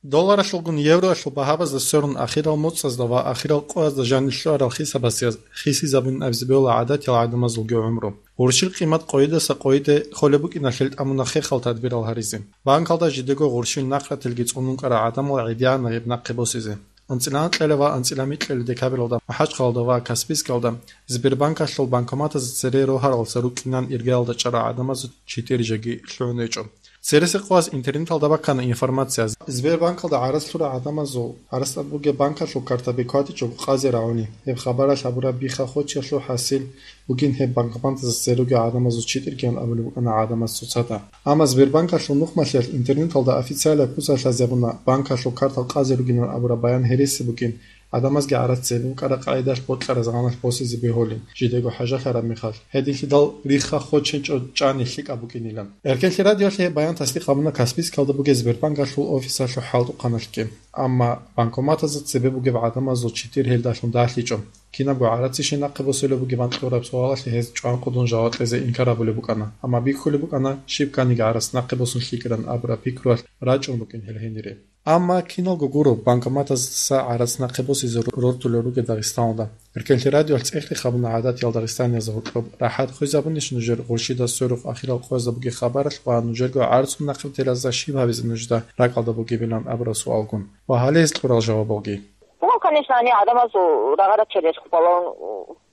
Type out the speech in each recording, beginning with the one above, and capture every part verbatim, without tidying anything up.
Долларалъулгун евроялъул багьабазда сверун ахирал моцӀазда ва ахирал къоязда жанир лъугьарал хисабасда хисизабун абизе бегьула гӀадатиял гӀадамазулги гӀумру. Гъурщил къимат къойидаса къойиде холеб букӀиналъе тӀамуна хехал тадбирал гьаризе. Банкалда жидего гъурщил нахъратилги цӀунун кӀара гӀадамал гӀедегӀанна гьеб нахъе босизе. АнцӀила анкьила ва анцӀила микьила декабралда МахӀачхъалда ва Каспийскалда Сбербанкалъул банкоматазда цере рогьаралца рукӀинан иргаялда чӀарал гӀадамазул читӀир жеги лъугӀун гьечӀо. Цересекъоялъ интернеталда баккана информация. Сбербанкалда гӀарац лъурал гӀадамазул гӀарацӀаб бугеб банкалъул картаби кватӀичӀого къазе рагӀуни. Гьеб хабаралъ абураб бихха хочиялъул хӀасил бугин гьеб банкоматазда цере ругел гӀадамазул читӀиргиян абулеб букӀана гӀадамаз цоцазда. Амма Сбербанкалъул нухмалъиялъ интернеталда официалаб куцалъ лъазабуна банкалъул картал къазе ругилан абураб баян гьереси бугин, гӀадамазги гӀарац цебе букӀараб къагӀидалъ бокьараб заманалъ босизе бегьулин, жидего хӀажалъараб мехалъ, гьединлъидал рихха хочинчӀо чӀани лъикӀаб букӀинилан. Эркенлъи радиоялъ гьеб баян тасдикъ гьабуна Каспийскалда бугеб Сбербанкалъул офисалъул хӀалтӀухъаналъги. Амма банкоматазда цебе бугеб гӀадамазул читӀир гьелдалъун дагьлъичӀо. Кинабго гӀарацищ нахъе босулеб бугебан кьураб суалалъе гьез чӀванкъудун жаваб кьезе инкар гьабулеб букӀана, амма бихьулеб букӀана, щиб кканиги гӀарац нахъе босун лъикӀилан абураб пикруялъ рачӀун букӀин гьел гьенире. Амма киналго гуро, банкоматаздаса гӀарац нахъе босизе рортулел ругел Дагъистаналда. Эркенлъи радиоялъ цӀехги хабуна гӀадатиял дагъистаниязда гьоркьоб рахӀат хвезабунищ нужер гъурщида сверухъ ахирал къоязда бугеб хабаралъ ва нужерго гӀарцун нахъе бетелазда щиб гьабизе нужда ракӀалда бугебилан абураб суалгун ва гьале гьез кьурал жавабалги. Ну, конечно, они адамазул рагъарачел рехубалан,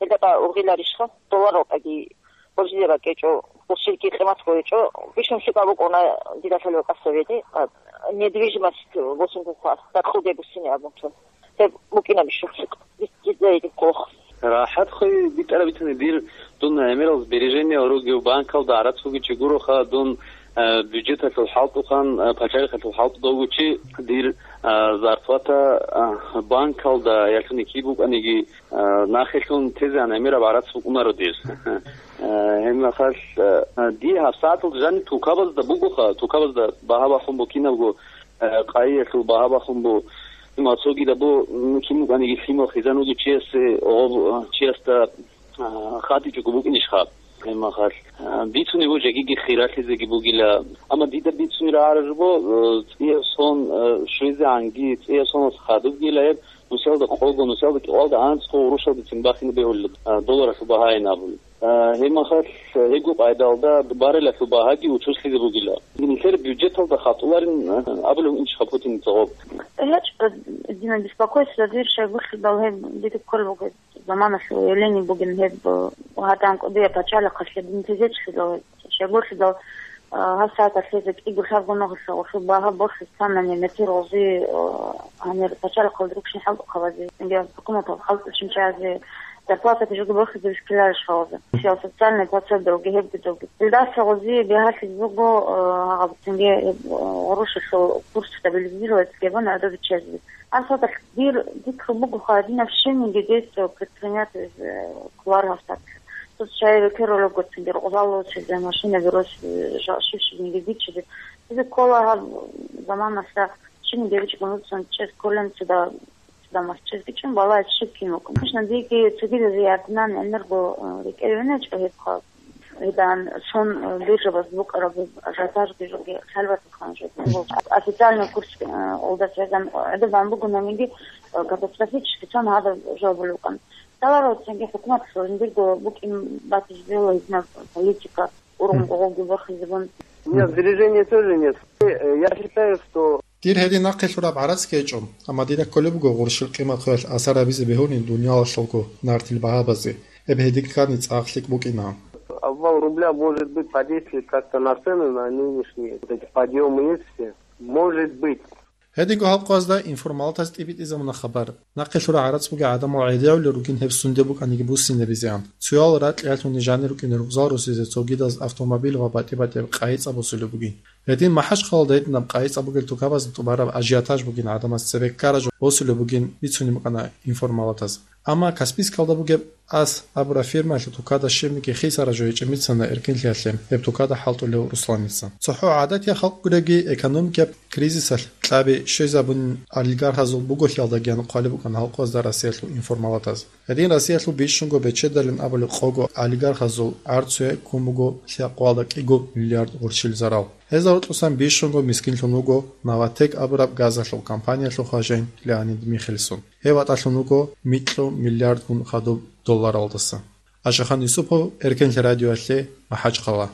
гьелда ургъиларищха, доллар рокъаги боржизе бакӀечӀо, боржилги къимат гьечӀо, бищун лъикӀаб букӀуна дида лъалеб къасабиде, а, недвижимость восемь буква, дакъуде буссине абун чун. Гьеб букӀина бищун лъикӀ, дис-, дида гьедин кколохъ. РахӀат хвей битӀараб бицани дир, дун гӀемерал сбережение ругев банкалда гӀарац бугичи гуроха, дун, э, бюджеталъул хӀалтӀухъан, э, пачалихъалъул хӀалтӀуда вугучи дир, э, зарплата, э, банкалда ялъуни киб букӀаниги, э, нахелъун тезегӀан гӀемераб гӀарац букӀунаро дир. Э, гьебмехалъ, э, дие гьабсагӀаталда жаниб тукабазда бугоха, тукабазда багьа бахун бу кинабго, э, къайиялъул багьа бахун бу, лъимал цогидаб бу, м, кин букӀаниги лъимал хизан вугев чиясе, гъоб, э, чиясда, э, хадичӀого букӀинищха? Гьебмехалъ, э, бицунеб буго жегиги хиралъизеги бугила. Амма дида бицунеб рагӀараб жо бу, э, цӀияб сон, э, щвезегӀанги, цӀияб сонас хадубгила гьеб, нусиялда къого, нусиялда кӀикъоялда анцӀго гъурущалдецин бахине бегьулеб, э, долларалъул багьаин абулеб. Э, гьебмехалъ, э, гьебго къайдалда барелалъул багьаги учуслъизе бугила. Нилъер бюджеталда хатӀуларин, э, абулев инчха Путин цогъоб. ГьечӀо, дина беспокойство, дир щайгурелъидал гьеб дида кколеб буго заманалъул явление бугин гьеб, э, гьадан кӀудияб пачалихъалъе дин тезечлъидал, щайгурелъидал, э, гьабсагӀаталъ гьезда кӀиго-лъабго нухалъ гъолъул багьа борхьи цанани метер гъози, э, гьанир пачалихъалда рукшин хӀалтӀухъабазе, гьукуматалда хӀалтӀухъанчиязе, зарплатаги жуги борхизе бихьиларищ гъоза. Социальный пособиялги гьебги-добги. Илдаса гъози бигьалъизе буго, э, гьаб цинги, э, гъурущалъул курс стабилизировать гьабуна гӀодобиччазе. Асадахъ дир пикру буго, гьадинаб щибниги действие предпринять, э, кколаро гьасда. Тут чай рекеролеб гуцин дир гъозаллъусизе, машинаби рос, э, жа-, щиб-щибниги бичизе. Дида ккола гьаб заманалъа щибниги бичӀчӀун руцин чӀез кколин цуда. Дамасчезги чӀун балагьизе щиб кин вукӀун. Конечно, диги цогидазе ярдинан гӀемерго, э, рекӀел винечӀо гьеб хъа-, гьедан сон, э, биржабаз букӀараб ажиотажги жоги хӀалбатухъан жо. Официальный курс, э, олдас гьезан гӀодобан буго, нагиги, э, катастрофически сон гьадаб жо булукъан. Даларо цинги хӀукуматалъул жиндирго букӀин батизе бегьула гьединаб политика, ургъун гъогги борхизебун. У меня сбережений тоже нет. Э, я считаю, что Дир гьедин нахъе лъураб гӀарац гьечӀо, амма дида кколеб буго гъурщил къимат хвеялъ асар гьабизе бегьунин дуниялалъулго нартил багьабазе, гьеб гьедин ккани цӀакъ лъикӀ букӀина. Обвал рубля может быть подействует как-то на цены, на нынешние вот эти подъёмы есть все. Может быть. Гьединго гьаб къоязда информалатаз тӀибитӀизабуна хабар. Нахъе лъураб гӀарац бугеб гӀадамал гӀедегӀулел ругин гьеб сунде букӀаниги буссинабизеан. Цоял ракьалъуни жанир рукӀине ругъзал русизе цогидаз автомобиль ва батӀи-батӀияб къайи цӀа босулеб бугин. Гьедин МахӀачхъалалда гьединаб къайи цӀа бугел тукабазда тӀубараб ажиотаж бугин гӀадамаз цебе ккараб жо босулеб бугин бицунеб букӀана информалатаз. Амма Каспийскалда бугеб Ас абураб фирмаялъул тукада щибниги хисараб жо гьечӀеб бицана эркенлъиялъе гьеб тукада хӀалтӀулев Русланица. ЦохӀо гӀадатияб халкъ гуреги экономикияб кризисалъ кьаби щвезабунин олигархазул буголъиялдагиян хъвалеб букӀана гьаб къоязда Россиялъул информалатаз. Гьедин Россиялъул бищунго бечедалин абулеб къого олигархазул гӀарцуе ккун буго лъабкъоялда кӀиго миллиард гъурщил зарал. Гьезда гьоркьосан бищунго мискинлъун вуго Новатэк абураб газалъул компаниялъул хважин Леонид Михельсон. Гьев ватӀалъун вуго микьу миллиардгун хадуб долларалдаса. Ашахан Юсупов, Эркенлъи радиоялъе, МахӀачхъала.